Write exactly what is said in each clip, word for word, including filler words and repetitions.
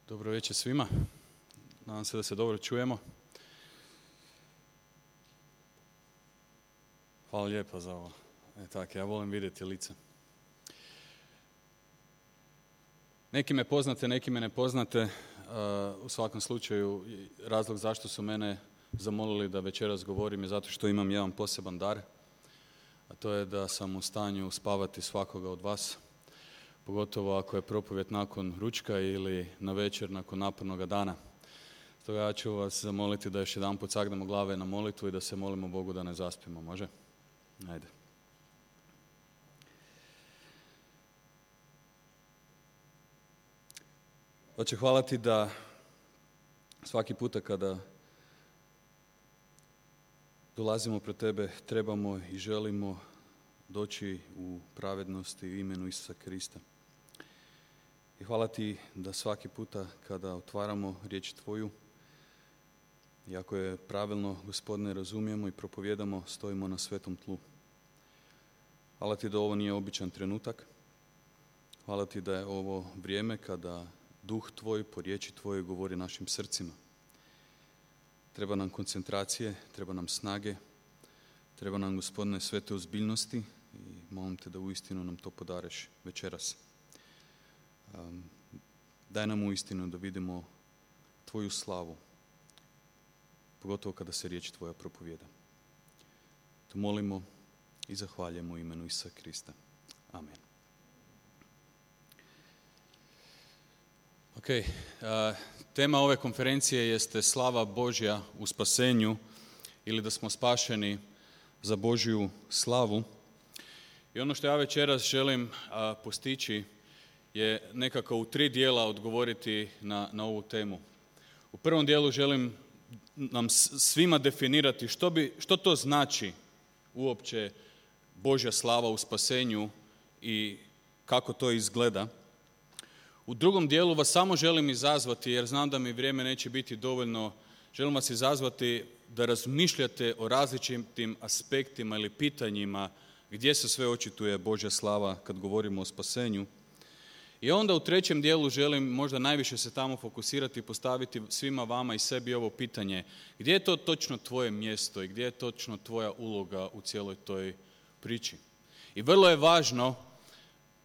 Dobro večer svima. Nadam se da se dobro čujemo. Hvala lijepo za ovo. E, tako, ja volim vidjeti lice. Neki me poznate, neki me ne poznate. Uh, u svakom slučaju, razlog zašto su mene zamolili da večeras govorim je zato što imam jedan poseban dar. A to je da sam u stanju spavati svakoga od vas. Pogotovo ako je propovjed nakon ručka ili na večer nakon napornog dana. Stoga ja ću vas zamoliti da još jedan put sagnemo glave na molitvu i da se molimo Bogu da ne zaspimo, može? Ajde. Oče, hvala ti da svaki puta kada dolazimo pred tebe trebamo i želimo doći u pravednosti u imenu Isusa Krista. I hvala ti da svaki puta kada otvaramo riječ tvoju, i ako je pravilno, Gospodine, razumijemo i propovjedamo, stojimo na svetom tlu. Hvala ti da ovo nije običan trenutak. Hvala ti da je ovo vrijeme kada duh tvoj po riječi tvojoj govori našim srcima. Treba nam koncentracije, treba nam snage, treba nam, Gospodine, svete ozbiljnosti i molim te da uistinu nam to podareš večeras. Um, daj nam uistinu da vidimo tvoju slavu, pogotovo kada se riječ tvoja propovijeda. To molimo i zahvaljujemo u imenu Isusa Krista. Amen. Ok, uh, tema ove konferencije jeste slava Božja u spasenju ili da smo spašeni za Božju slavu. I ono što ja večeras želim uh, postići je nekako u tri dijela odgovoriti na, na ovu temu. U prvom dijelu želim nam svima definirati što, bi, što to znači uopće Božja slava u spasenju i kako to izgleda. U drugom dijelu vas samo želim izazvati, jer znam da mi vrijeme neće biti dovoljno, želim vas izazvati da razmišljate o različitim aspektima ili pitanjima gdje se sve očituje Božja slava kad govorimo o spasenju. I onda u trećem dijelu želim možda najviše se tamo fokusirati i postaviti svima vama i sebi ovo pitanje. Gdje je to točno tvoje mjesto i gdje je točno tvoja uloga u cijeloj toj priči? I vrlo je važno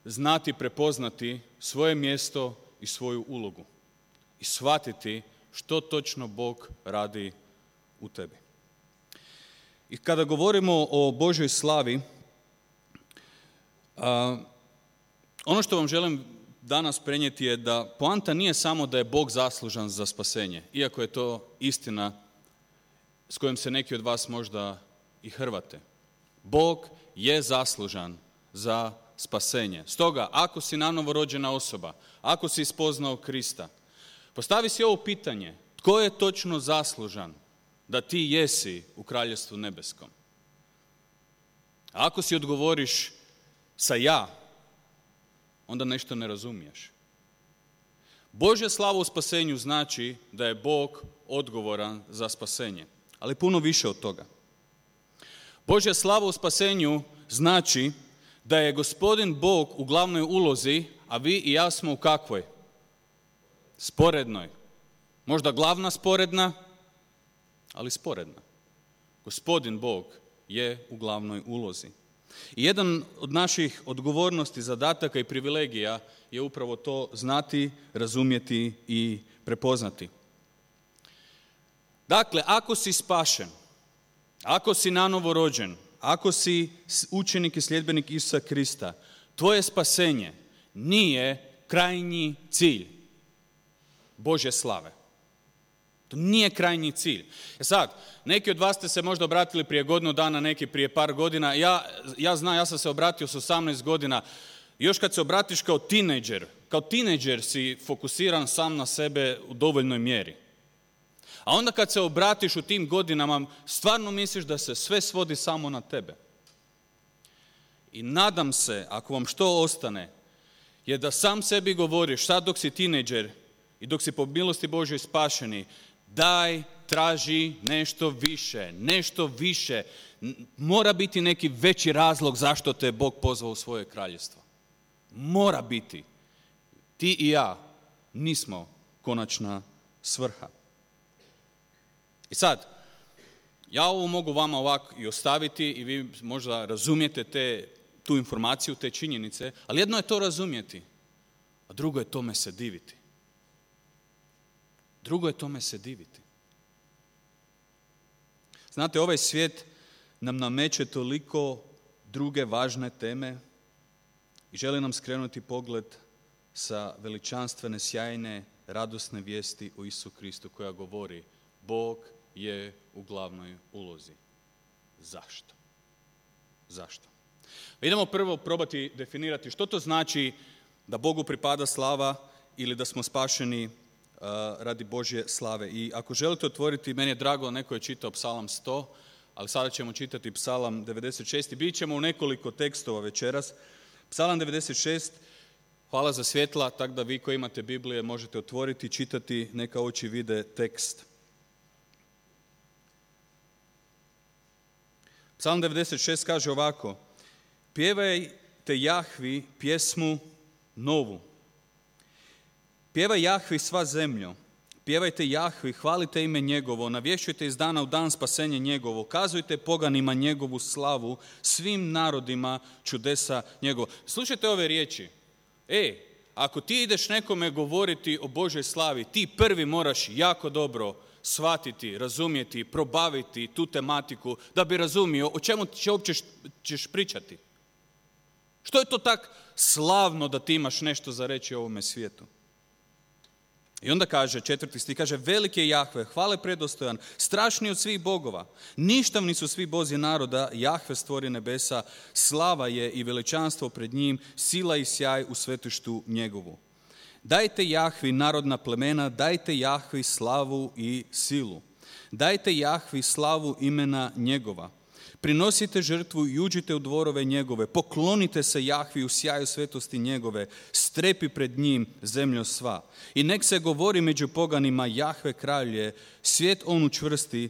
znati, prepoznati svoje mjesto i svoju ulogu. I shvatiti što točno Bog radi u tebi. I kada govorimo o Božjoj slavi, a, ono što vam želim danas prenijeti je da poanta nije samo da je Bog zaslužan za spasenje, iako je to istina s kojom se neki od vas možda i hrvate. Bog je zaslužan za spasenje. Stoga, ako si nanovo rođena osoba, ako si spoznao Krista, postavi si ovo pitanje, tko je točno zaslužan da ti jesi u Kraljevstvu nebeskom? A ako si odgovoriš sa ja, onda nešto ne razumiješ. Božja slava u spasenju znači da je Bog odgovoran za spasenje, ali puno više od toga. Božja slava u spasenju znači da je Gospodin Bog u glavnoj ulozi, a vi i ja smo u kakvoj? Sporednoj. Možda glavna sporedna, ali sporedna. Gospodin Bog je u glavnoj ulozi. I jedan od naših odgovornosti, zadataka i privilegija je upravo to znati, razumjeti i prepoznati. Dakle, ako si spašen, ako si nanovo rođen, ako si učenik i sljedbenik Isusa Krista, tvoje spasenje nije krajnji cilj Božje slave. To nije krajnji cilj. E sad, neki od vas ste se možda obratili prije godinu dana, neki prije par godina. Ja, ja znam, ja sam se obratio s osamnaest godina. Još kad se obratiš kao tinejdžer, kao tinejdžer si fokusiran sam na sebe u dovoljnoj mjeri. A onda kad se obratiš u tim godinama, stvarno misliš da se sve svodi samo na tebe. I nadam se, ako vam što ostane, je da sam sebi govoriš, sad dok si tinejdžer i dok si po milosti Božjoj spašeni, daj, traži nešto više, nešto više. Mora biti neki veći razlog zašto te je Bog pozvao u svoje kraljevstvo. Mora biti. Ti i ja nismo konačna svrha. I sad, ja ovo mogu vama ovako i ostaviti i vi možda razumijete te, tu informaciju, te činjenice, ali jedno je to razumjeti, a drugo je tome se diviti. Drugo je tome se diviti. Znate, ovaj svijet nam nameće toliko druge važne teme i želi nam skrenuti pogled sa veličanstvene, sjajne, radosne vijesti o Isusu Kristu koja govori Bog je u glavnoj ulozi. Zašto? Zašto? Idemo prvo probati definirati što to znači da Bogu pripada slava ili da smo spašeni uh, radi Božje slave. I ako želite otvoriti, meni je drago, neko je čitao Psalam sto, ali sada ćemo čitati Psalam devedeset šest i bit ćemo u nekoliko tekstova večeras. Psalam devedeset šest, hvala za svjetla, tako da vi koji imate Biblije možete otvoriti i čitati, neka oči vide tekst. Psalam devedeset šest kaže ovako: pjevajte Jahvi pjesmu novu. Pjevaj Jahvi sva zemljo. Pjevajte Jahvi, hvalite ime njegovo, navješćujte iz dana u dan spasenje njegovo, kazujte poganima njegovu slavu, svim narodima čudesa njegovo. Slušajte ove riječi. E, ako ti ideš nekome govoriti o Božoj slavi, ti prvi moraš jako dobro shvatiti, razumjeti, probaviti tu tematiku da bi razumio o čemu će uopće ćeš pričati. Što je to tak slavno da ti imaš nešto za reći o ovome svijetu? I onda kaže, četvrti stih, kaže, veliki je Jahve, hvale predostojan, strašni od svih bogova. Ništavni su svi bozi naroda, Jahve stvori nebesa, slava je i veličanstvo pred njim, sila i sjaj u svetištu njegovu. Dajte Jahvi narodna plemena, dajte Jahvi slavu i silu. Dajte Jahvi slavu imena njegova. Prinosite žrtvu i uđite u dvorove njegove, poklonite se Jahvi u sjaju svetosti njegove, strepi pred njim zemljo sva. I nek se govori među poganima, Jahve kralj je, svijet on učvrsti,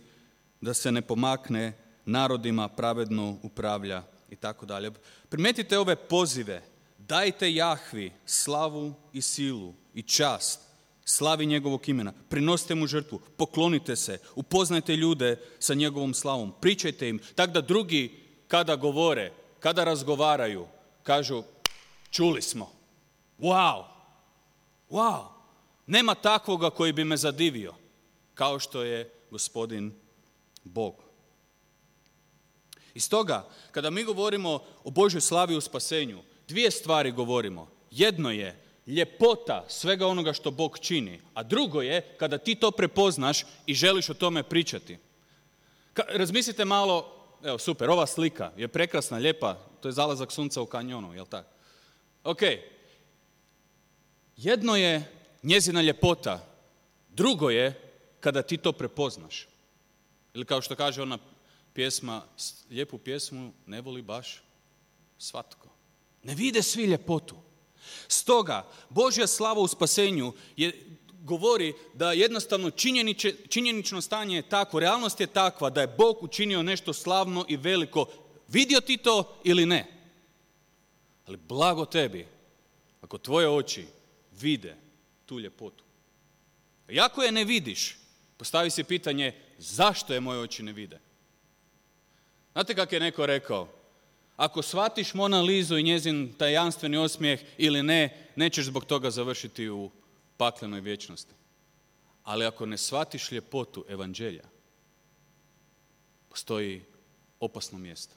da se ne pomakne, narodima pravedno upravlja i tako dalje. Primetite ove pozive, dajte Jahvi slavu i silu i čast, slavi njegovog imena, prinosite mu žrtvu, poklonite se, upoznajte ljude sa njegovom slavom, pričajte im, tako da drugi kada govore, kada razgovaraju, kažu čuli smo, wow, wow, nema takvoga koji bi me zadivio, kao što je gospodin Bog. I stoga, kada mi govorimo o Božoj slavi u spasenju, dvije stvari govorimo. Jedno je ljepota svega onoga što Bog čini, a drugo je kada ti to prepoznaš i želiš o tome pričati. Ka- razmislite malo, evo super, ova slika je prekrasna, lijepa, to je zalazak sunca u kanjonu, jel tako? Ok, jedno je njezina ljepota, drugo je kada ti to prepoznaš. Ili kao što kaže ona pjesma, lijepu pjesmu ne voli baš svatko. Ne vide svi ljepotu. Stoga, Božja slava u spasenju je, govori da jednostavno činjeniče, činjenično stanje je takvo, realnost je takva da je Bog učinio nešto slavno i veliko. Vidio ti to ili ne? Ali blago tebi ako tvoje oči vide tu ljepotu. I ako je ne vidiš, postavi si pitanje zašto je moje oči ne vide. Znate kako je neko rekao? Ako shvatiš Mona Lizu i njezin tajanstveni osmijeh ili ne, nećeš zbog toga završiti u paklenoj vječnosti. Ali ako ne shvatiš ljepotu evanđelja, postoji opasno mjesto.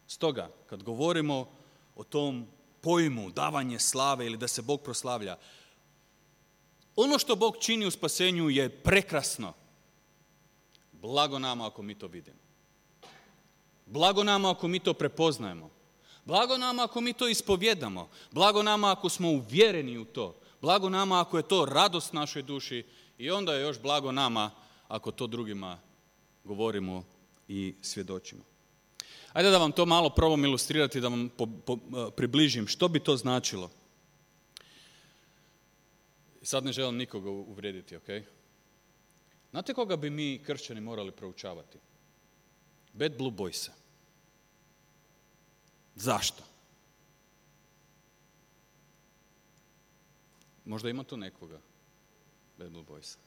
Stoga, kad govorimo o tom pojmu davanje slave ili da se Bog proslavlja, ono što Bog čini u spasenju je prekrasno. Blago nama ako mi to vidimo. Blago nama ako mi to prepoznajemo. Blago nama ako mi to ispovjedamo. Blago nama ako smo uvjereni u to. Blago nama ako je to radost našoj duši. I onda je još blago nama ako to drugima govorimo i svjedočimo. Ajde da vam to malo probam ilustrirati, da vam po, po, približim. Što bi to značilo? Sad ne želim nikoga uvrijediti, ok? Znate koga bi mi kršćani morali proučavati? Bad Blue Boysa. Zašto? Možda ima tu nekoga. Bad Blue Boysa.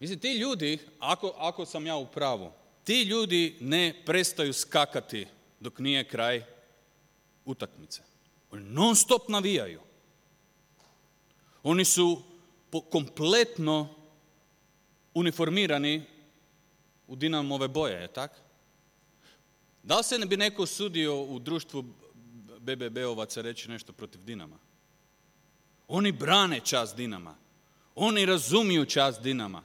Mislim, ti ljudi, ako, ako sam ja u pravu, ti ljudi ne prestaju skakati dok nije kraj utakmice. Oni non stop navijaju. Oni su kompletno uniformirani u Dinamove boje, je tako? Da li se ne bi neko usudio u društvu be be be-ovaca reći nešto protiv Dinama? Oni brane čast Dinama. Oni razumiju čast Dinama.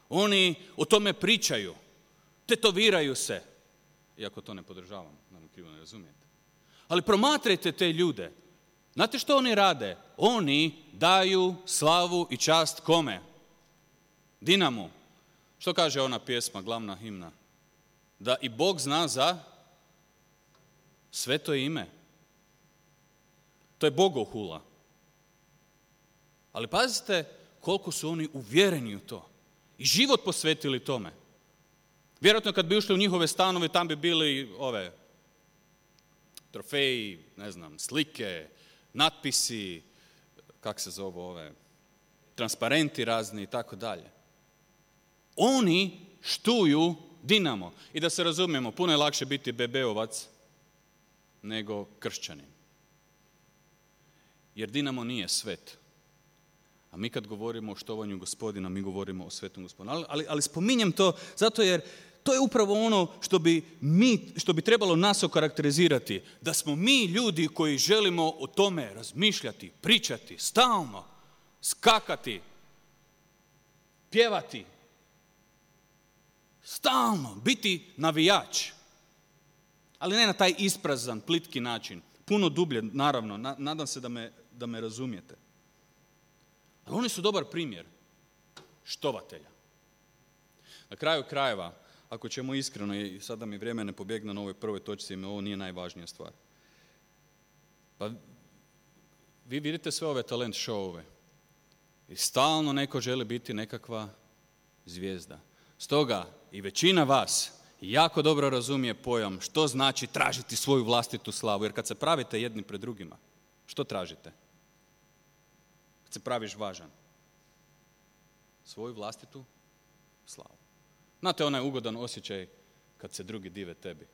Oni o tome pričaju. Tetoviraju se. Iako to ne podržavam, da me krivo ne razumijete. Ali promatrajte te ljude. Znate što oni rade? Oni daju slavu i čast kome? Dinamu. Što kaže ona pjesma, glavna himna? Da i Bog zna za sveto ime. To je bogohula. Ali pazite koliko su oni uvjereni u to. I život posvetili tome. Vjerojatno kad bi ušli u njihove stanove, tam bi bili ove trofeji, ne znam, slike, natpisi, kak se zove ove, transparenti razni i tako dalje. Oni štuju Dinamo. I da se razumijemo, puno je lakše biti be be-ovac nego kršćanin. Jer Dinamo nije svet. A mi kad govorimo o štovanju Gospodina, mi govorimo o svetom Gospodinu. Ali, ali, ali spominjem to zato jer to je upravo ono što bi, mi, što bi trebalo nas okarakterizirati. Da smo mi ljudi koji želimo o tome razmišljati, pričati, stalno, skakati, pjevati. Stalno, biti navijač. Ali ne na taj isprazan, plitki način. Puno dublje, naravno, nadam se da me, da me razumijete. Ali oni su dobar primjer štovatelja. Na kraju krajeva, ako ćemo iskreno, i sada mi vrijeme ne pobjegne na ovoj prvoj točci, jer ovo nije najvažnija stvar. Pa vi vidite sve ove talent showove i stalno neko želi biti nekakva zvijezda. Stoga i većina vas jako dobro razumije pojam što znači tražiti svoju vlastitu slavu. Jer kad se pravite jedni pred drugima, što tražite? Kad se praviš važan. Svoju vlastitu slavu. Znate onaj ugodan osjećaj kad se drugi dive tebi.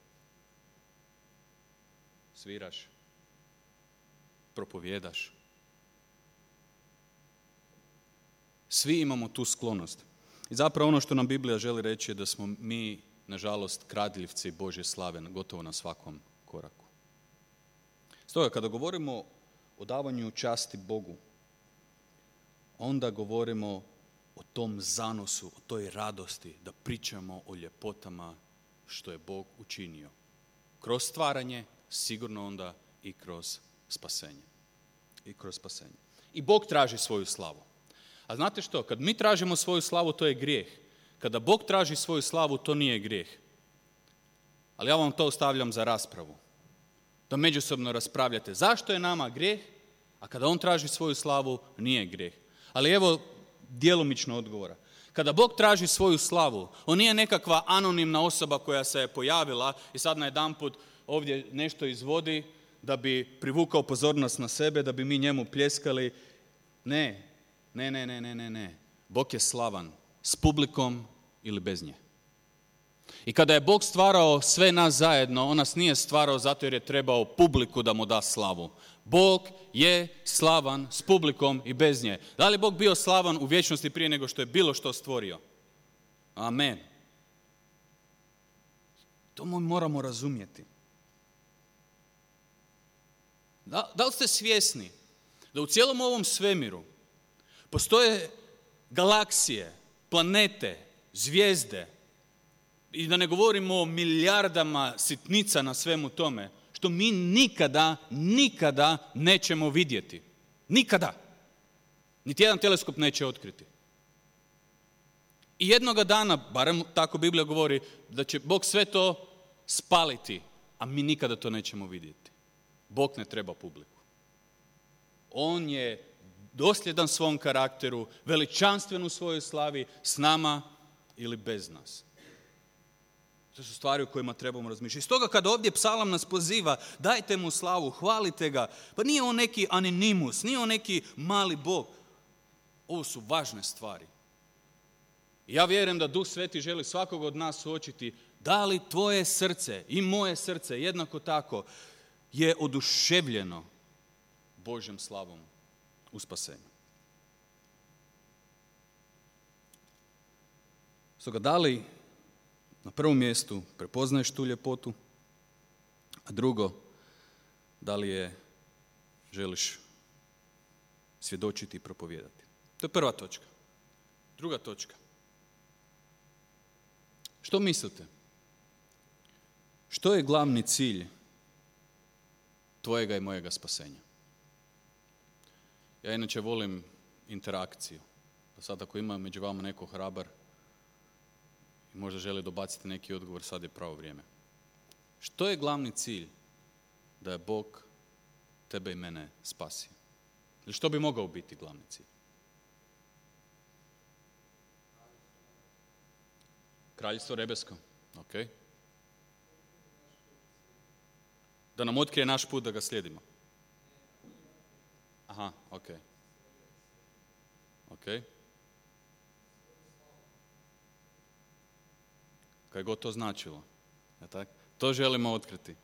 Sviraš, propovjedaš. Svi imamo tu sklonost. I zapravo ono što nam Biblija želi reći je da smo mi, nažalost, kradljivci Božje slave gotovo na svakom koraku. Stoga, kada govorimo o davanju časti Bogu, onda govorimo o tom zanosu, o toj radosti, da pričamo o ljepotama što je Bog učinio. Kroz stvaranje, sigurno onda i kroz spasenje. I kroz spasenje. I Bog traži svoju slavu. A znate što? Kad mi tražimo svoju slavu, to je grijeh. Kada Bog traži svoju slavu, to nije grijeh. Ali ja vam to ostavljam za raspravu. Da međusobno raspravljate zašto je nama grijeh, a kada On traži svoju slavu, nije grijeh. Ali evo djelomično odgovora. Kada Bog traži svoju slavu, On nije nekakva anonimna osoba koja se je pojavila i sad najedanput ovdje nešto izvodi da bi privukao pozornost na sebe, da bi mi njemu pljeskali. Ne, ne, ne, ne, ne, ne, ne. Bog je slavan s publikom ili bez nje. I kada je Bog stvarao sve nas zajedno, On nas nije stvarao zato jer je trebao publiku da mu da slavu. Bog je slavan s publikom i bez nje. Da li je Bog bio slavan u vječnosti prije nego što je bilo što stvorio? Amen. To moramo razumjeti. Da, da li ste svjesni da u cijelom ovom svemiru postoje galaksije, planete, zvijezde, i da ne govorimo o milijardama sitnica na svemu tome, što mi nikada, nikada nećemo vidjeti. Nikada. Niti jedan teleskop neće otkriti. I jednoga dana, barem tako Biblija govori, da će Bog sve to spaliti, a mi nikada to nećemo vidjeti. Bog ne treba publiku. On je dosljedan svom karakteru, veličanstven u svojoj slavi, s nama ili bez nas. To su stvari o kojima trebamo razmišljati. Stoga kada ovdje psalam nas poziva, dajte mu slavu, hvalite ga. Pa nije on neki anonimus, nije on neki mali Bog. Ovo su važne stvari. Ja vjerujem da Duh Sveti želi svakog od nas suočiti da li tvoje srce i moje srce jednako tako je oduševljeno Božjom slavom u spasenju. Stoga da li na prvom mjestu prepoznaješ tu ljepotu, a drugo, da li je želiš svjedočiti i propovijedati. To je prva točka. Druga točka. Što mislite? Što je glavni cilj tvojega i mojega spasenja? Ja inače volim interakciju. Pa sad ako ima među vama neko hrabar i možda želi dobaciti neki odgovor, sad je pravo vrijeme. Što je glavni cilj da je Bog tebe i mene spasio? Ili što bi mogao biti glavni cilj? Kraljevstvo nebesko. Ok. Da nam otkrije naš put da ga slijedimo. Aha, ok. Ok. Kaj god to značilo. Ja tak? To želimo otkriti.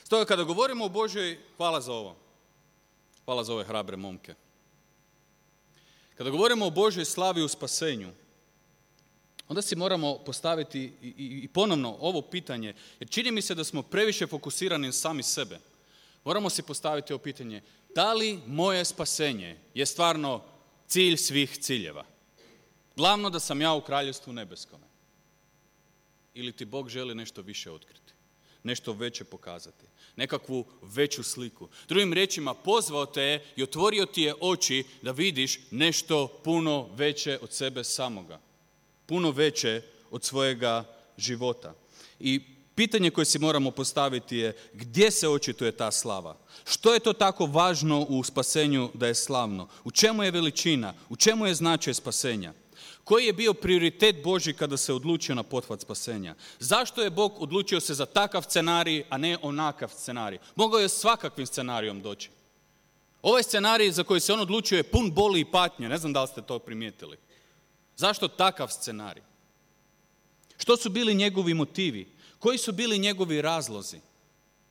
Stoga kada govorimo o Božjoj, hvala za ovo. Hvala za ove hrabre momke. Kada govorimo o Božjoj slavi u spasenju, onda si moramo postaviti i, i, i ponovno ovo pitanje, jer čini mi se da smo previše fokusirani sami sebe. Moramo si postaviti ovo pitanje, da li moje spasenje je stvarno cilj svih ciljeva? Glavno da sam ja u kraljevstvu nebeskome. Ili ti Bog želi nešto više otkriti, nešto veće pokazati, nekakvu veću sliku. Drugim riječima, pozvao te je i otvorio ti je oči da vidiš nešto puno veće od sebe samoga. Puno veće od svojega života. I pitanje koje si moramo postaviti je gdje se očituje ta slava? Što je to tako važno u spasenju da je slavno? U čemu je veličina? U čemu je značaj spasenja? Koji je bio prioritet Božji kada se odlučio na pothvat spasenja? Zašto je Bog odlučio se za takav scenarij, a ne onakav scenarij? Mogao je svakakvim scenarijom doći. Ovaj scenarij za koji se on odlučio je pun boli i patnje. Ne znam da li ste to primijetili. Zašto takav scenarij? Što su bili njegovi motivi? Koji su bili njegovi razlozi?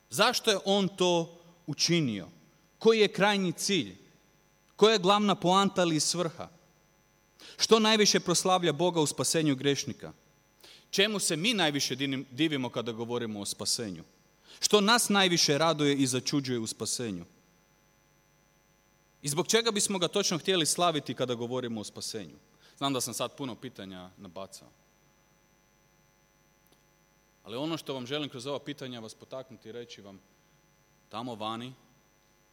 Zašto je on to učinio? Koji je krajnji cilj? Koja je glavna poanta ili svrha? Što najviše proslavlja Boga u spasenju grešnika? Čemu se mi najviše divimo kada govorimo o spasenju? Što nas najviše raduje i začuđuje u spasenju? I zbog čega bismo ga točno htjeli slaviti kada govorimo o spasenju? Znam da sam sad puno pitanja nabacao. Ali ono što vam želim kroz ova pitanja vas potaknuti i reći vam, tamo vani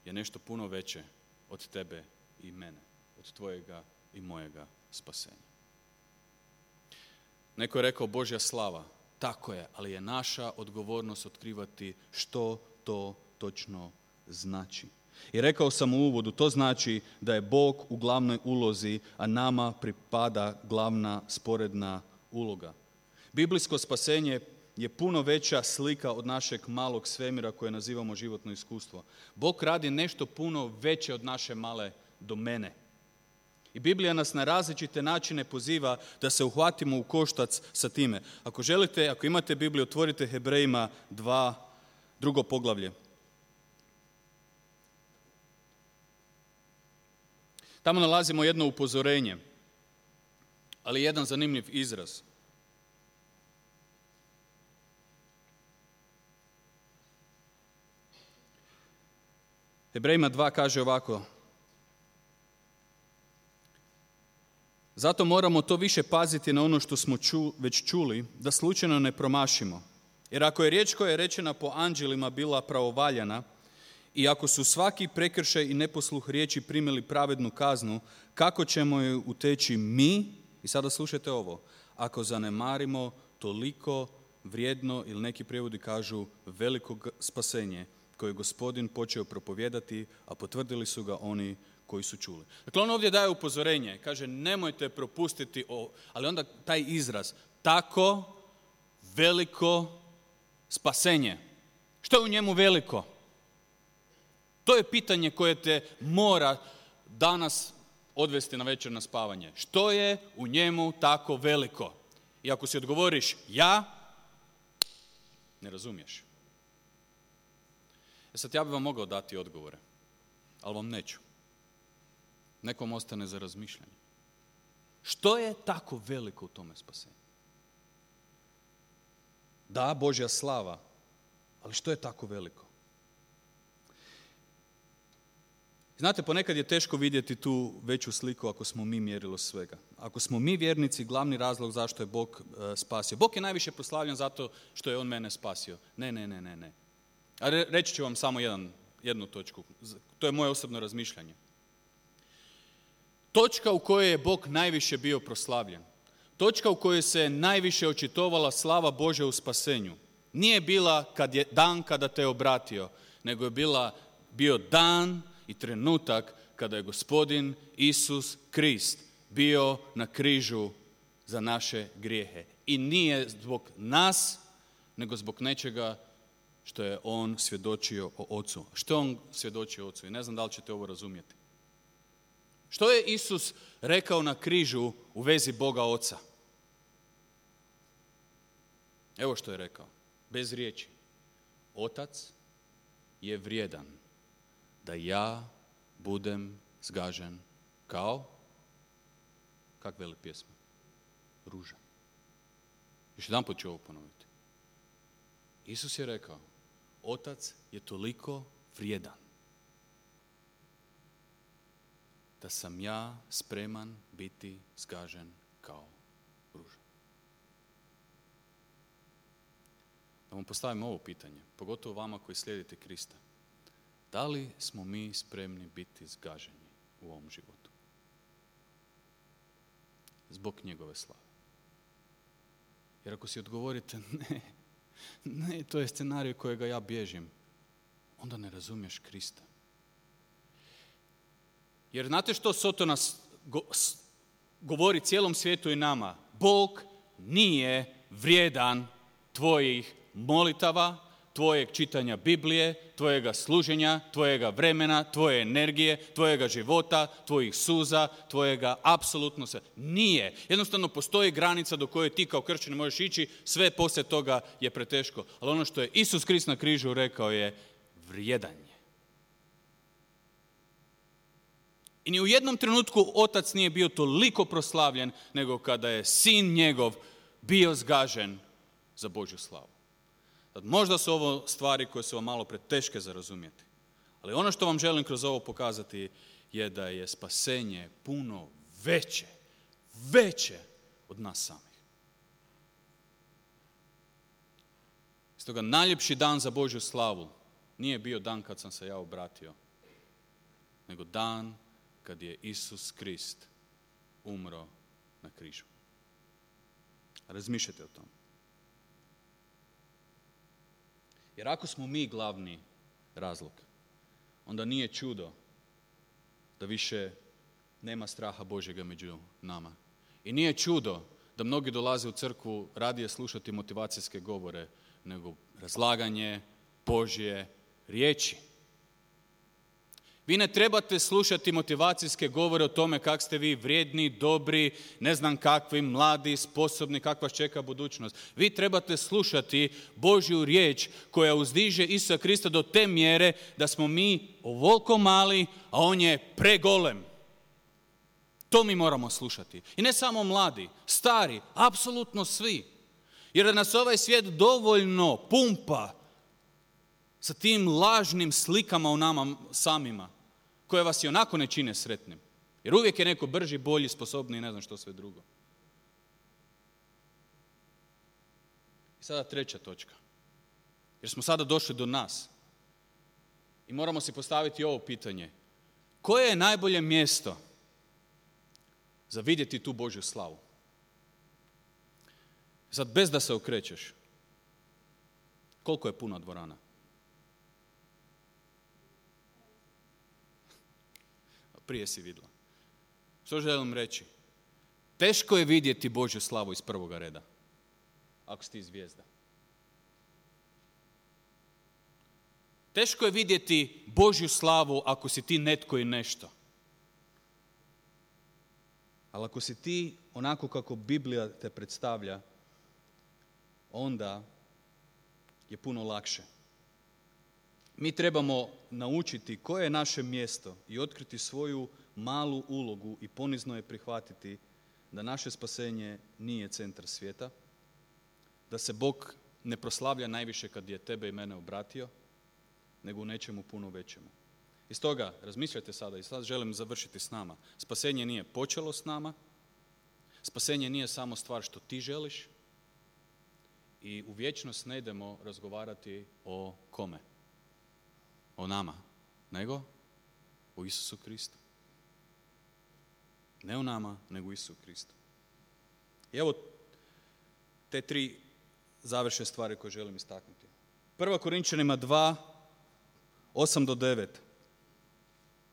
je nešto puno veće od tebe i mene, od tvojega i mojega spasenja. Neko je rekao Božja slava. Tako je, ali je naša odgovornost otkrivati što to točno znači. I rekao sam u uvodu, to znači da je Bog u glavnoj ulozi, a nama pripada glavna sporedna uloga. Biblijsko spasenje je puno veća slika od našeg malog svemira koje nazivamo životno iskustvo. Bog radi nešto puno veće od naše male domene. I Biblija nas na različite načine poziva da se uhvatimo u koštac sa time. Ako želite, ako imate Bibliju, otvorite Hebrejima dva, drugo poglavlje. Tamo nalazimo jedno upozorenje, ali jedan zanimljiv izraz. Hebrejima dva kaže ovako. Zato moramo to više paziti na ono što smo ču, već čuli, da slučajno ne promašimo. Jer ako je riječ koja je rečena po anđelima bila pravovaljana, i ako su svaki prekršaj i neposluh riječi primili pravednu kaznu, kako ćemo ju uteći mi, i sada slušajte ovo, ako zanemarimo toliko vrijedno, ili neki prijevodi kažu veliko spasenje, koje je Gospodin počeo propovijedati, a potvrdili su ga oni koji su čuli. Dakle, on ovdje daje upozorenje, kaže nemojte propustiti ovo, ali onda taj izraz, tako veliko spasenje. Što je u njemu veliko? To je pitanje koje te mora danas odvesti na večer na spavanje. Što je u njemu tako veliko? I ako si odgovoriš ja, ne razumiješ. E sad ja bih vam mogao dati odgovore, ali vam neću. Nekom ostane za razmišljanje. Što je tako veliko u tome spasenju? Da, Božja slava, ali što je tako veliko? Znate, ponekad je teško vidjeti tu veću sliku ako smo mi mjerilo svega. Ako smo mi vjernici, glavni razlog zašto je Bog e, spasio. Bog je najviše proslavljen zato što je On mene spasio. Ne, ne, ne, ne, ne. A re, reći ću vam samo jedan, jednu točku. To je moje osobno razmišljanje. Točka u kojoj je Bog najviše bio proslavljen. Točka u kojoj se najviše očitovala slava Božja u spasenju. Nije bila kad je dan kada te obratio, nego je bila, bio dan i trenutak kada je Gospodin Isus Krist bio na križu za naše grijehe. I nije zbog nas, nego zbog nečega što je On svjedočio o Ocu. Što On svjedočio o Ocu? I ne znam da li ćete ovo razumjeti. Što je Isus rekao na križu u vezi Boga Oca? Evo što je rekao, bez riječi. Otac je vrijedan da ja budem zgažen kao, kak veli pjesma, ruža. Još jedan put ću ovo ponoviti. Isus je rekao, Otac je toliko vrijedan da sam ja spreman biti zgažen kao ruža. Da vam postavim ovo pitanje, pogotovo vama koji slijedite Krista. Da li smo mi spremni biti zgaženi u ovom životu? Zbog njegove slave. Jer ako si odgovorite ne, ne, to je scenarij kojega ja bježim, onda ne razumiješ Krista. Jer znate što Sotona govori cijelom svijetu i nama? Bog nije vrijedan tvojih molitava, tvojeg čitanja Biblije, tvojega služenja, tvojega vremena, tvoje energije, tvojega života, tvojih suza, tvojega apsolutno sve. Nije. Jednostavno postoji granica do koje ti kao kršćanin možeš ići, sve poslije toga je preteško. Ali ono što je Isus Krist na križu rekao je vrijedan je. I ni u jednom trenutku Otac nije bio toliko proslavljen nego kada je Sin njegov bio zgažen za Božju slavu. Možda su ovo stvari koje su vam malo preteške za razumjeti. Ali ono što vam želim kroz ovo pokazati je da je spasenje puno veće, veće od nas samih. Stoga najljepši dan za Božju slavu nije bio dan kad sam se ja obratio, nego dan kad je Isus Krist umro na križu. Razmišljajte o tom. Jer ako smo mi glavni razlog, onda nije čudo da više nema straha Božjega među nama. I nije čudo da mnogi dolaze u crkvu radije slušati motivacijske govore nego razlaganje Božje riječi. Vi ne trebate slušati motivacijske govore o tome kak ste vi vrijedni, dobri, ne znam kakvi, mladi, sposobni, kakva vas čeka budućnost. Vi trebate slušati Božju riječ koja uzdiže Isusa Krista do te mjere da smo mi ovoliko mali, a On je pregolem. To mi moramo slušati. I ne samo mladi, stari, apsolutno svi. Jer nas ovaj svijet dovoljno pumpa sa tim lažnim slikama u nama samima, koje vas i onako ne čine sretnim. Jer uvijek je neko brži, bolji, sposobniji i ne znam što sve drugo. I sada treća točka. Jer smo sada došli do nas. I moramo si postaviti ovo pitanje. Koje je najbolje mjesto za vidjeti tu Božju slavu? Sad, bez da se okrećeš, koliko je puna dvorana? prije si vidjela. Što želim reći? Teško je vidjeti Božju slavu iz prvoga reda, ako si ti zvijezda. Teško je vidjeti Božju slavu ako si ti netko i nešto. Ali ako si ti onako kako Biblija te predstavlja, onda je puno lakše. Mi trebamo naučiti koje je naše mjesto i otkriti svoju malu ulogu i ponizno je prihvatiti da naše spasenje nije centar svijeta, da se Bog ne proslavlja najviše kad je tebe i mene obratio, nego u nečemu puno većemu. I stoga, razmišljajte sada, i sad želim završiti s nama. Spasenje nije počelo s nama, spasenje nije samo stvar što ti želiš i u vječnost ne idemo razgovarati o kome? O nama, nego o Isusu Kristu. Ne o nama, nego o Isusu Kristu. I evo te tri završne stvari koje želim istaknuti. Prva Korinčanima dva, osam do devet.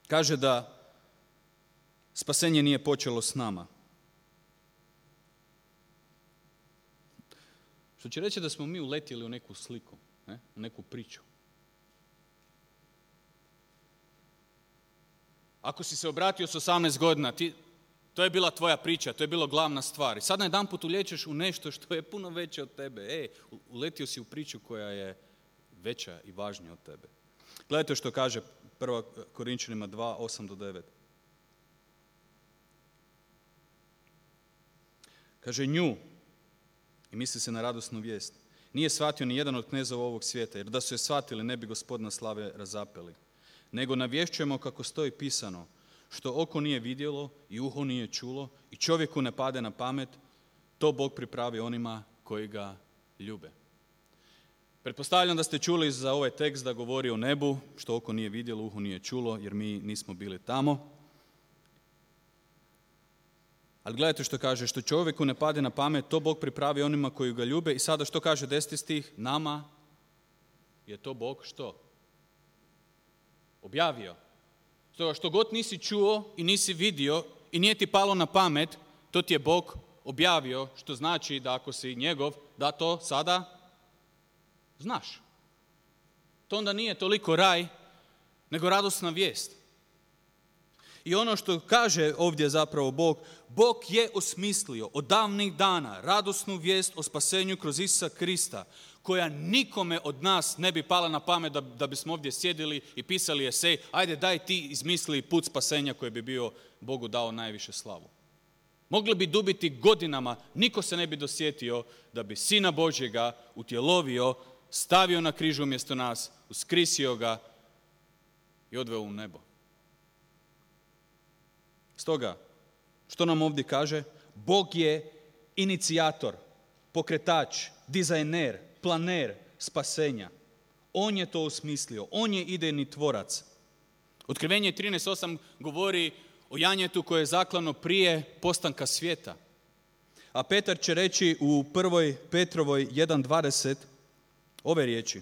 Kaže da spasenje nije počelo s nama. Što će reći da smo mi uletjeli u neku sliku, ne? U neku priču. Ako si se obratio s osamnaest godina, ti, to je bila tvoja priča, to je bilo glavna stvar. I sad najedanput ulijećeš u nešto što je puno veće od tebe. E, uletio si u priču koja je veća i važnija od tebe. Gledajte što kaže prva Korinčanima dva, osam do devet. Kaže nju, i misli se na radosnu vijest, nije shvatio ni jedan od knezova ovog svijeta, jer da su je shvatili ne bi Gospodina slave razapeli. Nego navješćujemo kako stoji pisano, što oko nije vidjelo i uho nije čulo i čovjeku ne pade na pamet, to Bog pripravi onima koji ga ljube. Pretpostavljam da ste čuli za ovaj tekst da govori o nebu, što oko nije vidjelo, uho nije čulo, jer mi nismo bili tamo. Ali gledajte što kaže, što čovjeku ne pade na pamet, to Bog pripravi onima koji ga ljube. I sada što kaže deseti stih, nama je to Bog što? Objavio. Stoga što god nisi čuo i nisi vidio i nije ti palo na pamet, to ti je Bog objavio, što znači da ako si njegov, da to sada znaš. To onda nije toliko raj, nego radosna vijest. I ono što kaže ovdje zapravo Bog, Bog je osmislio od davnih dana radosnu vijest o spasenju kroz Isusa Krista, koja nikome od nas ne bi pala na pamet da, da bismo ovdje sjedili i pisali esej, ajde daj ti izmisli put spasenja koji bi bio Bogu dao najviše slavu. Mogli bi dubiti godinama, niko se ne bi dosjetio da bi Sina Božjega utjelovio, stavio na križu umjesto nas, uskrisio ga i odveo u nebo. Stoga, što nam ovdje kaže? Bog je inicijator, pokretač, dizajner, planer spasenja. On je to osmislio, on je idejni tvorac. Otkrivenje trinaest osam govori o janjetu koje je zaklano prije postanka svijeta. A Petar će reći u prvoj Petrovoj jedan dvadeset ove riječi.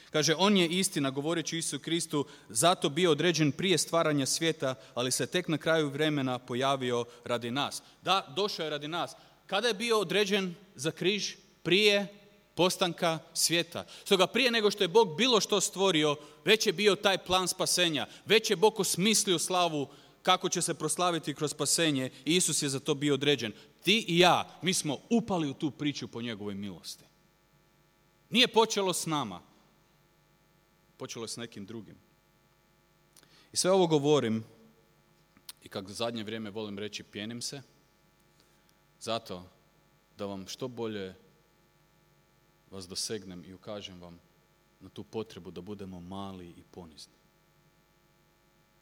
Kaže, on je istina, govoreći Isusu Kristu, zato bio određen prije stvaranja svijeta, ali se tek na kraju vremena pojavio radi nas. Da, došao je radi nas. Kada je bio određen za križ? Prije postanka svijeta. Stoga prije nego što je Bog bilo što stvorio, već je bio taj plan spasenja. Već je Bog osmislio slavu kako će se proslaviti kroz spasenje i Isus je za to bio određen. Ti i ja, mi smo upali u tu priču po njegovoj milosti. Nije počelo s nama. Počelo je s nekim drugim. I sve ovo govorim, i kako zadnje vrijeme volim reći, pjenim se, zato da vam što bolje vas dosegnem i ukažem vam na tu potrebu da budemo mali i ponizni.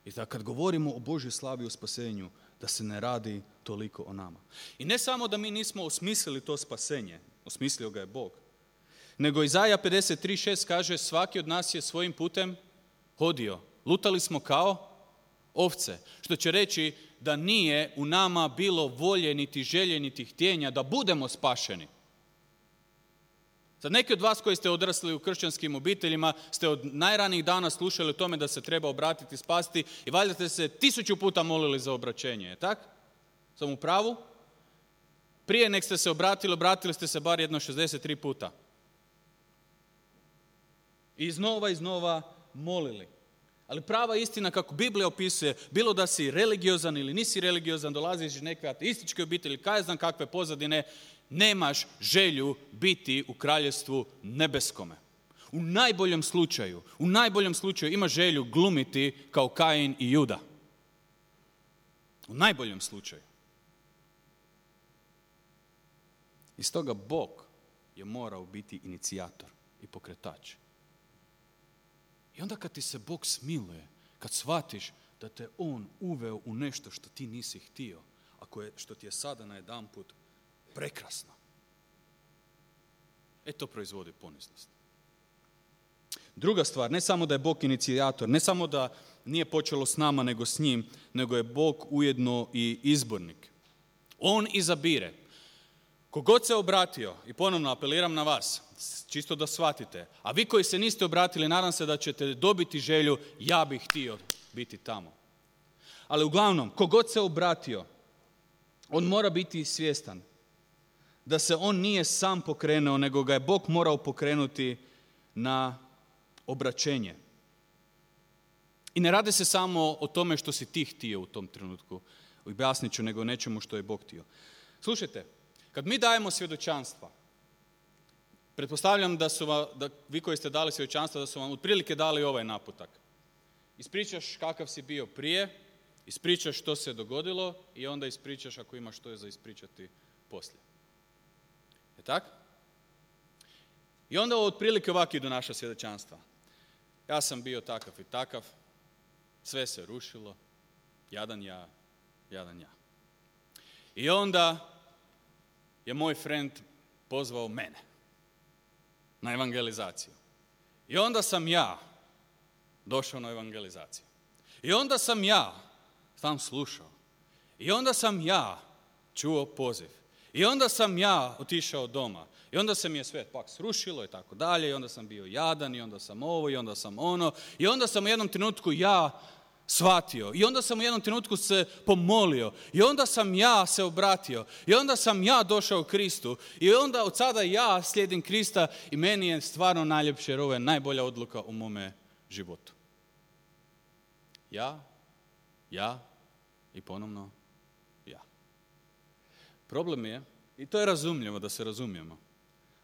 I da kad govorimo o Božjoj slavi i o spasenju, da se ne radi toliko o nama. I ne samo da mi nismo osmislili to spasenje, osmislio ga je Bog, nego Izaja pedeset tri šest kaže, svaki od nas je svojim putem hodio. Lutali smo kao ovce. Što će reći da nije u nama bilo volje, niti želje, niti htjenja da budemo spašeni. Sad neki od vas koji ste odrasli u kršćanskim obiteljima ste od najranijih dana slušali o tome da se treba obratiti, spasti i valjda ste se tisuću puta molili za obraćenje, je tak? Sam u pravu? Prije nek ste se obratili, obratili ste se bar jedno šezdeset tri puta. I iznova, iznova molili. Ali prava istina kako Biblija opisuje, bilo da si religiozan ili nisi religiozan, dolaziš iz neke ateističke obitelji, kaj znam kakve pozadine, nemaš želju biti u kraljevstvu nebeskome. U najboljem slučaju, u najboljem slučaju imaš želju glumiti kao Kain i Juda. U najboljem slučaju. I stoga Bog je morao biti inicijator i pokretač. I onda kad ti se Bog smiluje, kad shvatiš da te On uveo u nešto što ti nisi htio, a koje, što ti je sada najedanput prekrasno, e to proizvodi poniznost. Druga stvar, ne samo da je Bog inicijator, ne samo da nije počelo s nama nego s njim, nego je Bog ujedno i izbornik. On izabire. Kogod se obratio, i ponovno apeliram na vas, čisto da shvatite, a vi koji se niste obratili, nadam se da ćete dobiti želju, ja bih htio biti tamo. Ali uglavnom, kogod se obratio, on mora biti svjestan da se on nije sam pokrenuo, nego ga je Bog morao pokrenuti na obraćenje. I ne radi se samo o tome što si ti htio u tom trenutku, objasnit ću, nego nečemu što je Bog htio. Slušajte, kad mi dajemo svjedočanstva, pretpostavljam da su vam, da vi koji ste dali svjedočanstva, da su vam otprilike dali ovaj naputak. Ispričaš kakav si bio prije, ispričaš što se dogodilo i onda ispričaš ako imaš što je za ispričati poslije. Je tak? I onda otprilike ovako idu naša svjedočanstva. Ja sam bio takav i takav, sve se rušilo, jadan ja, jadan ja. I onda je moj friend pozvao mene na evangelizaciju. I onda sam ja došao na evangelizaciju. I onda sam ja sam slušao. I onda sam ja čuo poziv. I onda sam ja otišao doma. I onda se mi je sve pak srušilo i tako dalje. I onda sam bio jadan i onda sam ovo i onda sam ono. I onda sam u jednom trenutku ja shvatio. I onda sam u jednom trenutku se pomolio. I onda sam ja se obratio. I onda sam ja došao u Kristu. I onda od sada ja slijedim Krista i meni je stvarno najljepše jer ovo je najbolja odluka u mome životu. Ja, ja i ponovno ja. Problem je, i to je razumljivo da se razumijemo,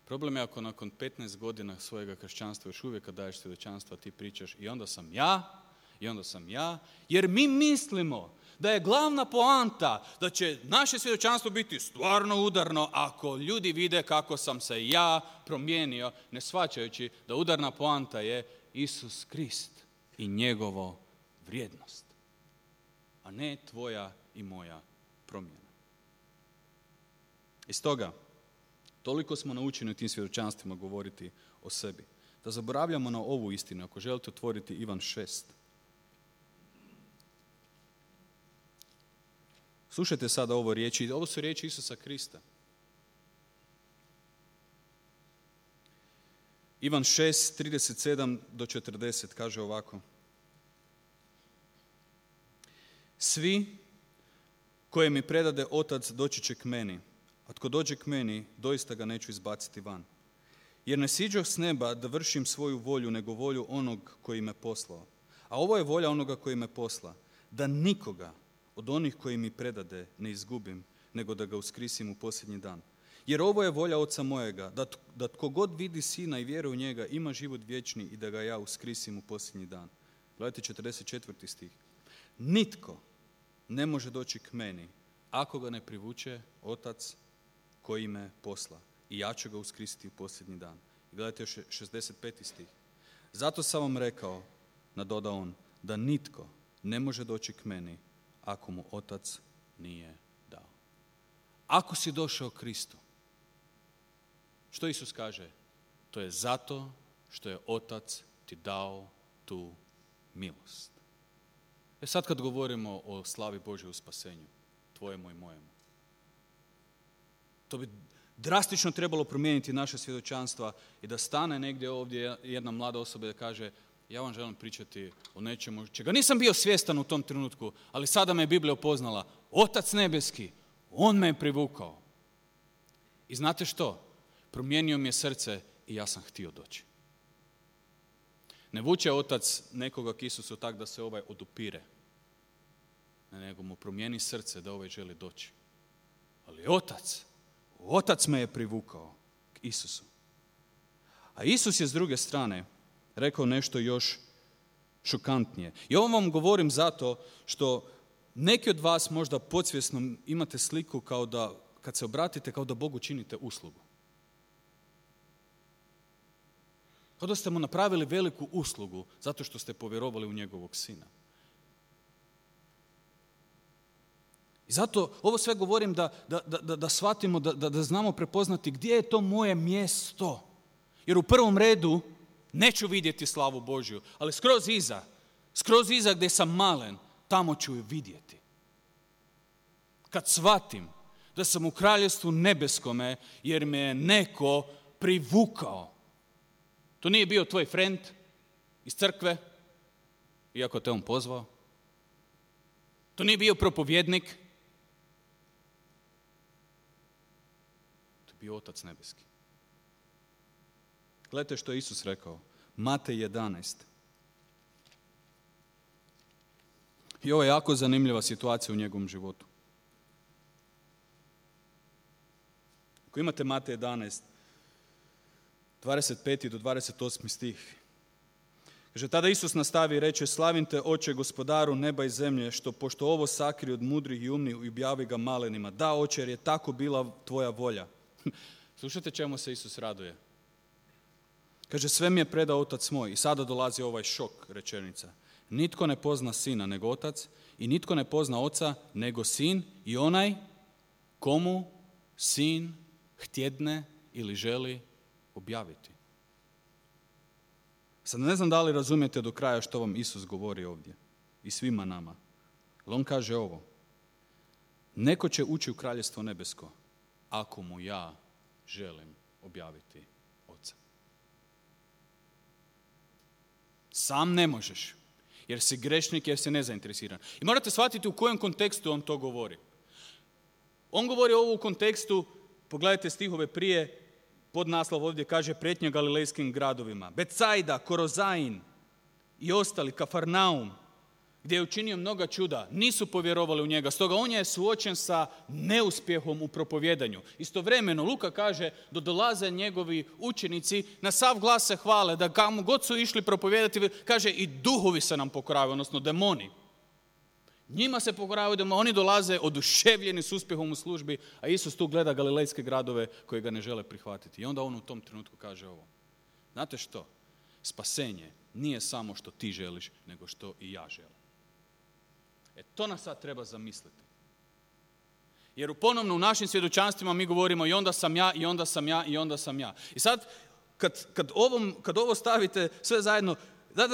problem je ako nakon petnaest godina svojega kršćanstva još uvijek kad daješ svjedočanstva ti pričaš i onda sam ja, i onda sam ja, jer mi mislimo da je glavna poanta da će naše svjedočanstvo biti stvarno udarno ako ljudi vide kako sam se ja promijenio, ne shvaćajući da udarna poanta je Isus Krist i njegovo vrijednost, a ne tvoja i moja promjena. I stoga, toliko smo naučeni u tim svjedočanstvima govoriti o sebi, da zaboravljamo na ovu istinu. Ako želite otvoriti Ivan šest. Slušajte sada ovo riječi, ovo su riječi Isusa Krista. Ivan šest, trideset sedam do četrdeset kaže ovako. Svi koje mi predade Otac doći će k meni, a tko dođe k meni, doista ga neću izbaciti van. Jer ne siđoh s neba da vršim svoju volju, nego volju onog koji me poslao. A ovo je volja onoga koji me posla, da nikoga od onih koji mi predade ne izgubim, nego da ga uskrisim u posljednji dan. Jer ovo je volja Oca mojega, da, da tko god vidi Sina i vjeruje u njega, ima život vječni i da ga ja uskrisim u posljednji dan. Gledajte četrdeset četvrti stih. Nitko ne može doći k meni ako ga ne privuče Otac koji me posla. I ja ću ga uskrisiti u posljednji dan. I gledajte još šezdeset peti stih. Zato sam vam rekao, nadoda on, da nitko ne može doći k meni ako mu Otac nije dao. Ako si došao Kristu, što Isus kaže? To je zato što je Otac ti dao tu milost. E sad kad govorimo o slavi Božje u spasenju, tvojemu i mojemu, to bi drastično trebalo promijeniti naše svjedočanstva i da stane negdje ovdje jedna mlada osoba i da kaže ja vam želim pričati o nečemu čega nisam bio svjestan u tom trenutku, ali sada me je Biblija upoznala. Otac nebeski, on me je privukao. I znate što? Promijenio mi je srce i ja sam htio doći. Ne vuče otac nekoga k Isusu tak da se ovaj odupire, nego mu promijeni srce da ovaj želi doći. Ali otac, otac me je privukao k Isusu. A Isus je s druge strane rekao nešto još šokantnije. I ovo vam govorim zato što neki od vas možda podsvjesno imate sliku kao da, kad se obratite, kao da Bogu činite uslugu. Kao da ste mu napravili veliku uslugu zato što ste povjerovali u njegovog sina. I zato ovo sve govorim da, da, da, da shvatimo, da, da, da znamo prepoznati gdje je to moje mjesto. Jer u prvom redu neću vidjeti slavu Božju, ali skroz iza, skroz iza gdje sam malen, tamo ću ju vidjeti. Kad shvatim da sam u kraljevstvu nebeskome jer me je neko privukao. To nije bio tvoj friend iz crkve, iako te on pozvao. To nije bio propovjednik. To je bio Otac nebeski. Gledajte što je Isus rekao. Matej jedanaest. I ovo je jako zanimljiva situacija u njegovom životu. Ako imate Matej jedanaest, dvadeset peti do dvadeset osmi stih. Kaže, tada Isus nastavi i reče, slavim te, Oče, gospodaru neba i zemlje, što pošto ovo sakri od mudrih i umnih i objavi ga malenima. Da, Oče, jer je tako bila tvoja volja. Slušajte čemu se Isus raduje. Kaže, sve mi je predao Otac moj. I sada dolazi ovaj šok rečenica. Nitko ne pozna sina nego Otac i nitko ne pozna Oca nego sin i onaj komu sin htjedne ili želi objaviti. Sad ne znam da li razumijete do kraja što vam Isus govori ovdje i svima nama. Ali on kaže ovo. Neko će ući u kraljevstvo nebesko ako mu ja želim objaviti Oca. Sam ne možeš, jer si grešnik, jer si nezainteresiran. I morate shvatiti u kojem kontekstu on to govori. On govori ovo u kontekstu, pogledajte stihove prije, podnaslov ovdje kaže prijetnja galilejskim gradovima. Becajda, Korozain i ostali, Kafarnaum, gdje je učinio mnoga čuda, nisu povjerovali u njega. Stoga on je suočen sa neuspjehom u propovjedanju. Istovremeno Luka kaže da dolaze njegovi učenici, na sav glas se hvale, da kamo god su išli propovijedati, kaže i duhovi se nam pokoravaju, odnosno demoni. Njima se pokoravaju demoni, oni dolaze oduševljeni s uspjehom u službi, a Isus tu gleda galilejske gradove koji ga ne žele prihvatiti. I onda on u tom trenutku kaže ovo. Znate što? Spasenje nije samo što ti želiš, nego što i ja želim. E to nas sad treba zamisliti. Jer ponovno u našim svjedočanstvima mi govorimo i onda sam ja, i onda sam ja, i onda sam ja. I sad, kad, kad, ovom, kad ovo stavite sve zajedno,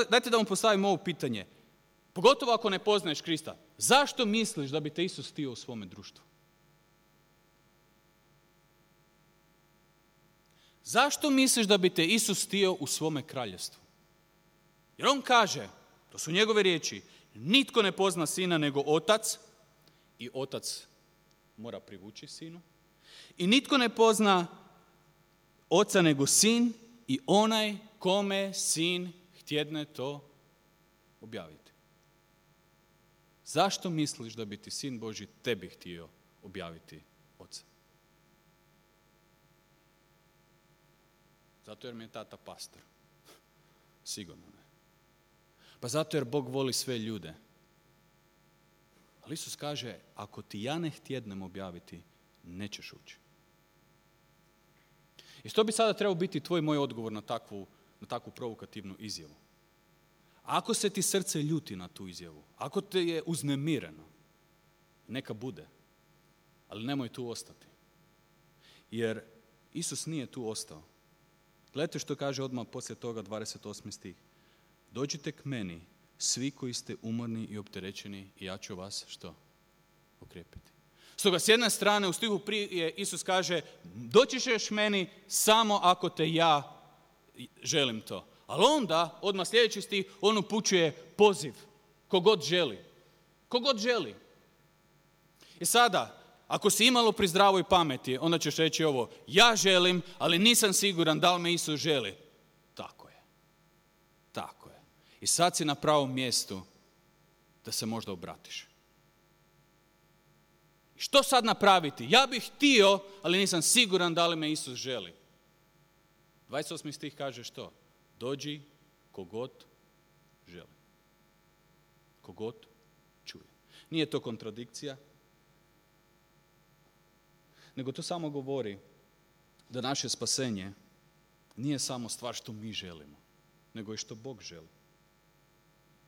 dajte da vam postavim ovo pitanje. Pogotovo ako ne poznaješ Krista. Zašto misliš da bi te Isus htio u svome društvu? Zašto misliš da bi te Isus htio u svome kraljevstvu? Jer on kaže, to su njegove riječi, nitko ne pozna sina nego Otac i Otac mora privući sinu. I nitko ne pozna Oca nego sin i onaj kome sin htjedne to objaviti. Zašto misliš da bi ti sin Božji tebi htio objaviti Oca? Zato jer mi je tata pastor. Sigurno ne. Pa zato jer Bog voli sve ljude. Ali Isus kaže, ako ti ja ne htjednem objaviti, nećeš ući. I što bi sada trebao biti tvoj moj odgovor na takvu, na takvu provokativnu izjavu? Ako se ti srce ljuti na tu izjavu, ako te je uznemireno, neka bude, ali nemoj tu ostati. Jer Isus nije tu ostao. Gledajte što kaže odmah poslije toga dvadeset osmi stih. Dođite k meni, svi koji ste umorni i opterećeni, i ja ću vas što? Okrijepiti. Stoga s jedne strane u stihu prije Isus kaže doći ćeš meni samo ako te ja želim to. Ali onda, odmah sljedeći stih, on upućuje poziv. Kogod želi. Kogod želi. I sada, ako si imalo pri zdravoj pameti, onda ćeš reći ovo, ja želim, ali nisam siguran da li me Isus želi. Tako je. Tako je. I sad si na pravom mjestu da se možda obratiš. Što sad napraviti? Ja bih htio, ali nisam siguran da li me Isus želi. dvadeset osmi stih kaže što? Dođi kogod želi. Kogod čuje. Nije to kontradikcija, nego to samo govori da naše spasenje nije samo stvar što mi želimo, nego i što Bog želi.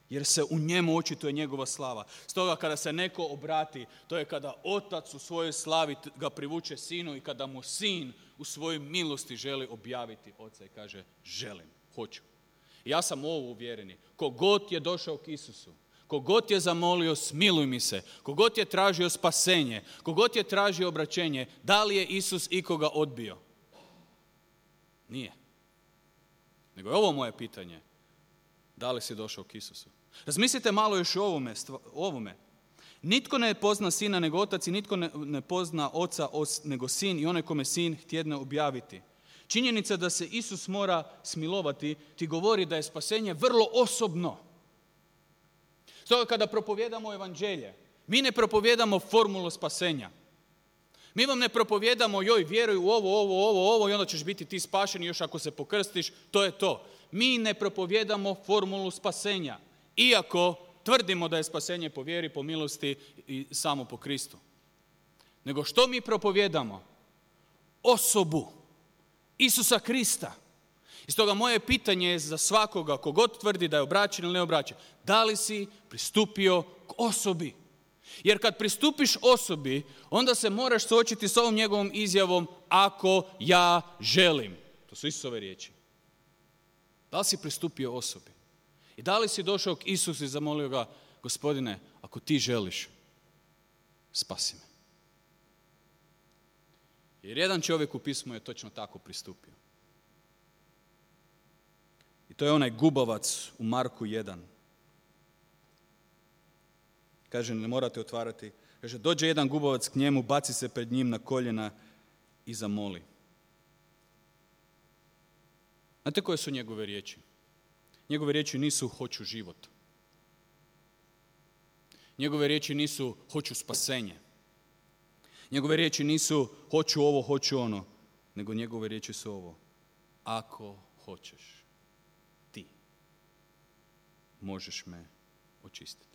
Jer se u njemu očituje njegova slava. Stoga kada se neko obrati, to je kada otac u svojoj slavi ga privuče sinu i kada mu sin u svojoj milosti želi objaviti oca i kaže želim, hoću. I ja sam ovo uvjereni. Kogod je došao k Isusu, kogod je zamolio smiluj mi se, kogod je tražio spasenje, kogod je tražio obraćenje, da li je Isus ikoga odbio? Nije. Nego je ovo moje pitanje. Da li si došao k Isusu? Razmislite malo još o ovome, o ovome. Nitko ne pozna sina nego otac i nitko ne, ne pozna oca os, nego sin i onaj kome sin htjedne objaviti. Činjenica da se Isus mora smilovati ti govori da je spasenje vrlo osobno. Stoga kada propovijedamo evanđelje, mi ne propovijedamo formulu spasenja. Mi vam ne propovijedamo joj vjeruj u ovo, ovo, ovo, ovo i onda ćeš biti ti spašen i još ako se pokrstiš, to je to. Mi ne propovijedamo formulu spasenja, iako tvrdimo da je spasenje po vjeri, po milosti i samo po Kristu. Nego što mi propovijedamo? Osobu Isusa Krista. I stoga moje pitanje je za svakoga, kogod tvrdi da je obraćen ili ne obraćen, da li si pristupio k osobi? Jer kad pristupiš osobi, onda se moraš suočiti s ovom njegovom izjavom ako ja želim. To su Isusove riječi. Da li si pristupio osobi? I da li si došao k Isusu i zamolio ga, Gospodine, ako ti želiš, spasi me. Jer jedan čovjek u pismu je točno tako pristupio. I to je onaj gubavac u Marku jedan. Kaže, ne morate otvarati. Kaže, dođe jedan gubavac k njemu, baci se pred njim na koljena i zamoli. Znate koje su njegove riječi? Njegove riječi nisu hoću život. Njegove riječi nisu hoću spasenje. Njegove riječi nisu hoću ovo, hoću ono. Nego njegove riječi su ovo. Ako hoćeš, ti možeš me očistiti.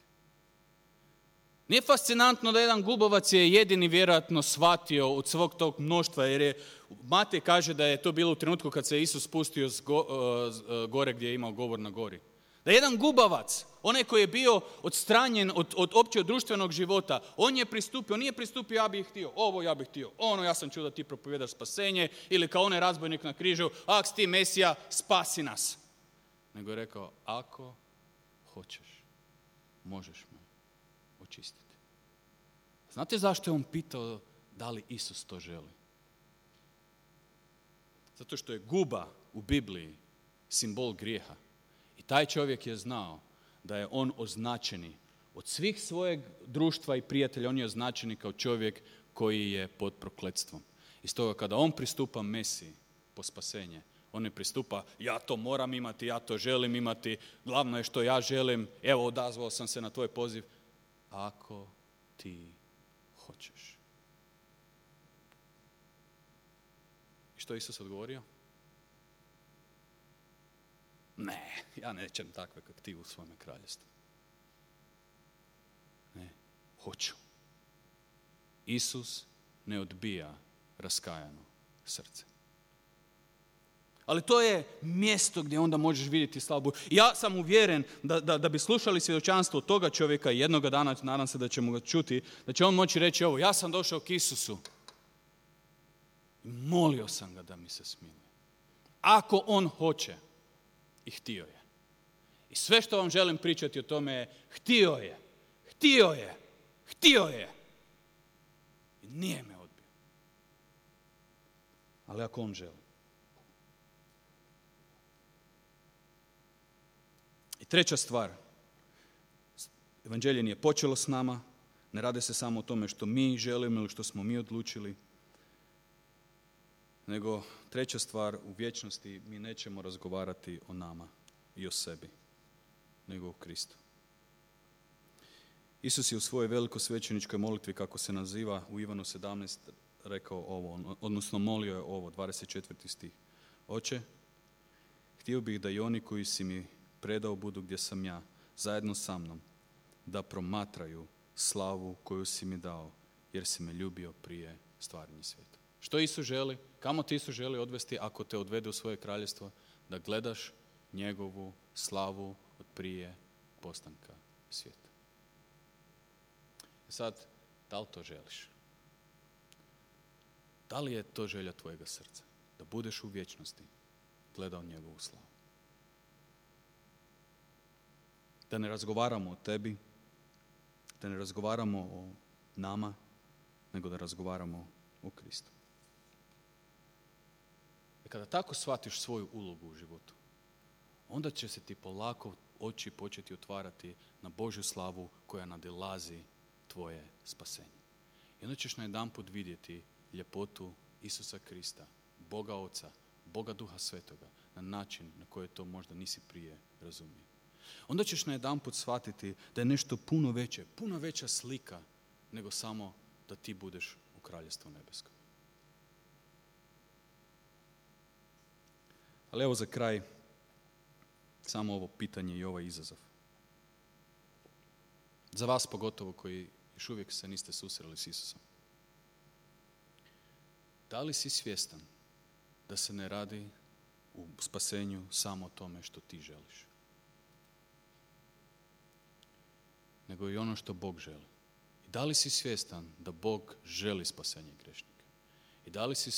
Nije fascinantno da jedan gubavac je jedini vjerojatno shvatio od svog tog mnoštva, jer je, Matej kaže da je to bilo u trenutku kad se Isus spustio z go, z gore gdje je imao govor na gori. Da jedan gubavac, onaj koji je bio odstranjen od, od općeg društvenog života, on je pristupio, on nije pristupio ja bih htio, ovo ja bih htio, ono ja sam čuo da ti propovjedaš spasenje, ili kao onaj razbojnik na križu, ak si ti Mesija, spasi nas. Nego je rekao, ako hoćeš, možeš me očistiti. Znate zašto je on pitao da li Isus to želi? Zato što je guba u Bibliji simbol grijeha. I taj čovjek je znao da je on označeni od svih svojeg društva i prijatelja, on je označeni kao čovjek koji je pod prokletstvom. I stoga kada on pristupa Mesiji po spasenje, on ne pristupa ja to moram imati, ja to želim imati, glavno je što ja želim, evo odazvao sam se na tvoj poziv. Ako ti hoćeš. I što je Isus odgovorio? Ne, ja nećem takve kak ti u svome kraljestvu. Ne, hoću. Isus ne odbija raskajano srce. Ali to je mjesto gdje onda možeš vidjeti slavu. Ja sam uvjeren da, da, da bi slušali svjedočanstvo toga čovjeka i jednoga dana, nadam se da ćemo ga čuti, da će on moći reći ovo, ja sam došao k Isusu i molio sam ga da mi se smiluje. Ako on hoće, i htio je. I sve što vam želim pričati o tome je htio je, htio je, htio je. Nije me odbio. Ali ako on želi. I treća stvar. Evanđelje nije počelo s nama. Ne radi se samo o tome što mi želimo ili što smo mi odlučili. Nego treća stvar, u vječnosti mi nećemo razgovarati o nama i o sebi, nego o Kristu. Isus je u svojoj velikosvećeničkoj molitvi, kako se naziva u Ivanu sedamnaest, rekao ovo, odnosno molio je ovo, dvadeset četvrti stih. Oče, htio bih da i oni koji si mi predao budu gdje sam ja, zajedno sa mnom, da promatraju slavu koju si mi dao, jer si me ljubio prije stvaranja svijeta. Što Isus želi? Kamo ti Isus želi odvesti ako te odvede u svoje kraljevstvo? Da gledaš njegovu slavu od prije postanka svijeta. Sad, da li to želiš? Da li je to želja tvojega srca? Da budeš u vječnosti gledao njegovu slavu. Da ne razgovaramo o tebi, da ne razgovaramo o nama, nego da razgovaramo o Kristu. I kada tako shvatiš svoju ulogu u životu, onda će se ti polako oči početi otvarati na Božju slavu koja nadilazi tvoje spasenje. I onda ćeš najedanput vidjeti ljepotu Isusa Krista, Boga Oca, Boga Duha Svetoga, na način na koji to možda nisi prije razumio. Onda ćeš najedanput shvatiti da je nešto puno veće, puno veća slika nego samo da ti budeš u kraljevstvu nebeskom. Ali evo za kraj samo ovo pitanje i ovaj izazov. Za vas pogotovo koji još uvijek se niste susreli s Isusom. Da li si svjestan da se ne radi u spasenju samo o tome što ti želiš? Nego i ono što Bog želi. I da li si svjestan da Bog želi spasenje grešnika? I da li si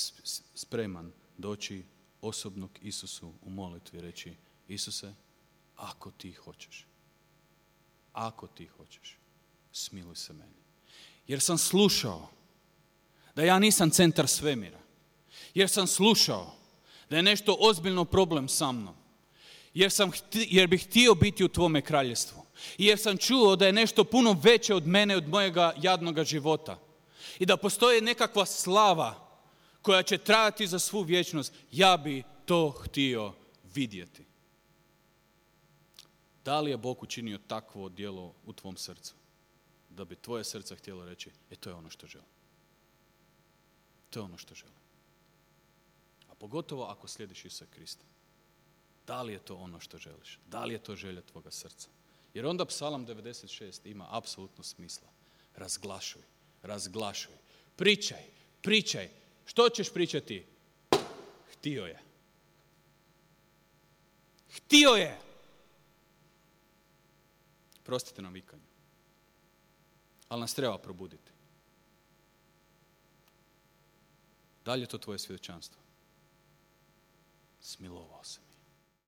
spreman doći osobno k Isusu u molitvi i reći: Isuse, ako ti hoćeš, ako ti hoćeš, smiluj se meni. Jer sam slušao da ja nisam centar svemira. Jer sam slušao da je nešto ozbiljno problem sa mnom. Jer, sam hti, jer bih htio biti u tvome kraljevstvu. I jer sam čuo da je nešto puno veće od mene, od mojega jadnoga života. I da postoji nekakva slava koja će trajati za svu vječnost. Ja bi to htio vidjeti. Da li je Bog učinio takvo djelo u tvom srcu? Da bi tvoje srce htjelo reći: e, to je ono što želim. To je ono što želim. A pogotovo ako slijediš Isusa Krista. Da li je to ono što želiš? Da li je to želja tvoga srca? Jer onda Psalam devedeset šest ima apsolutno smisla. Razglašuj, razglašuj. Pričaj, pričaj. Što ćeš pričati? Htio je. Htio je. Prostite nam vikanju. Ali nas treba probuditi. Da li je to tvoje svjedočanstvo? Smilovao se.